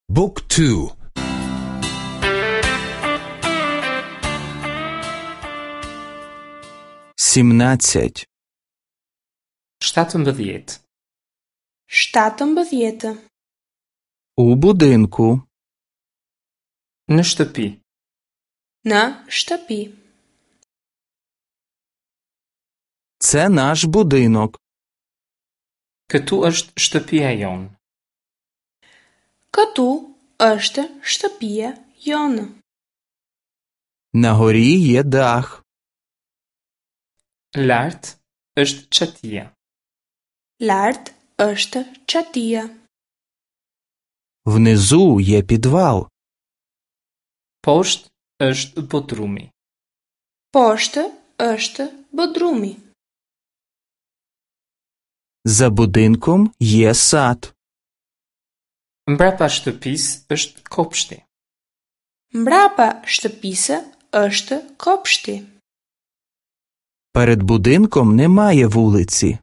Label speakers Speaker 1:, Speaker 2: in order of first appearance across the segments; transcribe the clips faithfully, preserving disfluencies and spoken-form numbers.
Speaker 1: Book two.
Speaker 2: Сімнадцять.
Speaker 3: Shtatëmbëdhjetë.
Speaker 4: Shtatëmbëdhjetë.
Speaker 2: У будинку.
Speaker 3: Në shtëpi.
Speaker 4: Në shtëpi.
Speaker 2: Це наш будинок.
Speaker 3: Këtu është shtëpia jonë.
Speaker 4: Këtu është shtëpia jonë.
Speaker 2: На горі є дах.
Speaker 3: Lart është çatia.
Speaker 4: Lart është çatia.
Speaker 2: Внизу є підвал.
Speaker 3: Poshtë është bodrumi.
Speaker 4: Poshtë është bodrumi.
Speaker 2: За будинком є сад.
Speaker 3: Mbrapa shtëpisë është kopshti.
Speaker 4: Mbrapa shtëpisë është kopshti.
Speaker 2: Перед будинком немає вулиці.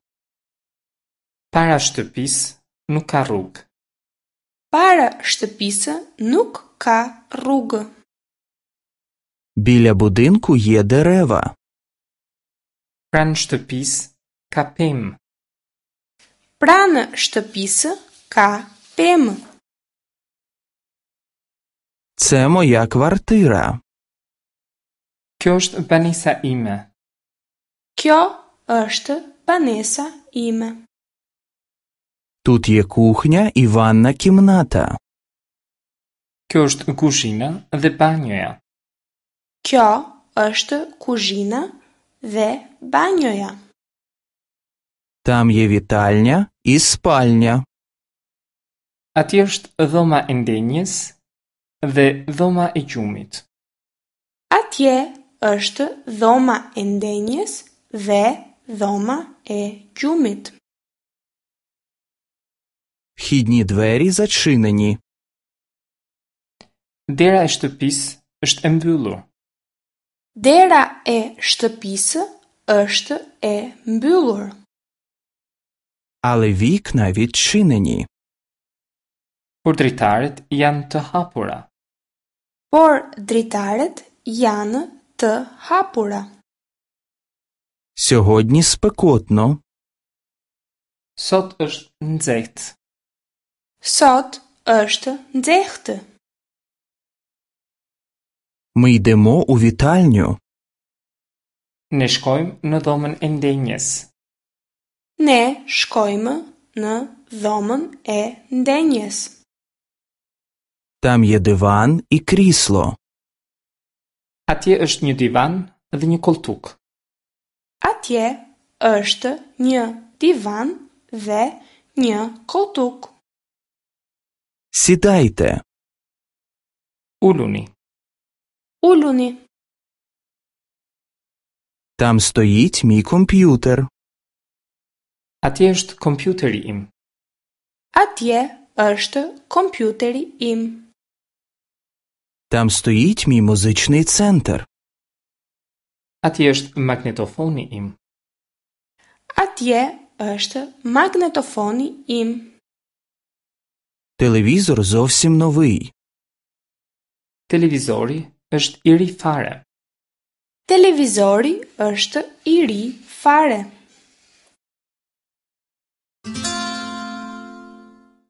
Speaker 3: Para shtëpisë nuk ka rrugë.
Speaker 4: Para shtëpisë nuk ka rrugë.
Speaker 2: Біля будинку є дерева.
Speaker 3: Pranë shtëpisë ka pemë.
Speaker 4: Pranë shtëpisë ka pemë.
Speaker 2: Це моя квартира.
Speaker 3: Kjo është banesa ime.
Speaker 4: Kjo është banesa ime.
Speaker 2: Тут є кухня і ванна кімната.
Speaker 3: Kjo është kuzhina dhe banjoja.
Speaker 4: Kjo është kuzhina dhe banjoja.
Speaker 2: Там є вітальня і спальня.
Speaker 3: Atje është dhoma e ndenjes dhe dhoma e gjumit.
Speaker 4: Atje është dhoma e ndenjes dhe dhoma e gjumit.
Speaker 2: Вхідні двері зачинені.
Speaker 3: Dera e shtëpisë është e mbyllur.
Speaker 4: Dera e shtëpisë është e mbyllur.
Speaker 2: Але вікна відчинені.
Speaker 3: Por dritaret janë të hapura.
Speaker 4: Por dritaret janë të hapura.
Speaker 2: Сьогодні спекотно.
Speaker 3: Sot është nxehtë.
Speaker 4: Sot është nxehtë.
Speaker 2: Ми йдемо у вітальню.
Speaker 3: Ne shkojmë në dhomën e ndenjes.
Speaker 4: Ne shkojmë në dhomën e ndenjes.
Speaker 2: Там є диван і крісло.
Speaker 3: Atje është një divan dhe një koltuk.
Speaker 4: Atje është një divan dhe një koltuk.
Speaker 2: Сідайте.
Speaker 3: Uluni.
Speaker 4: Uluni.
Speaker 2: Там стоїть мій комп'ютер.
Speaker 3: Atje është kompjuteri im.
Speaker 4: Atje është kompjuteri im.
Speaker 2: Там стоїть мій музичний центр.
Speaker 3: Atje është magnetofoni im.
Speaker 4: Atje është magnetofoni im.
Speaker 2: Телевізор зовсім новий.
Speaker 3: Televizori është i ri fare.
Speaker 4: Televizori është i ri fare.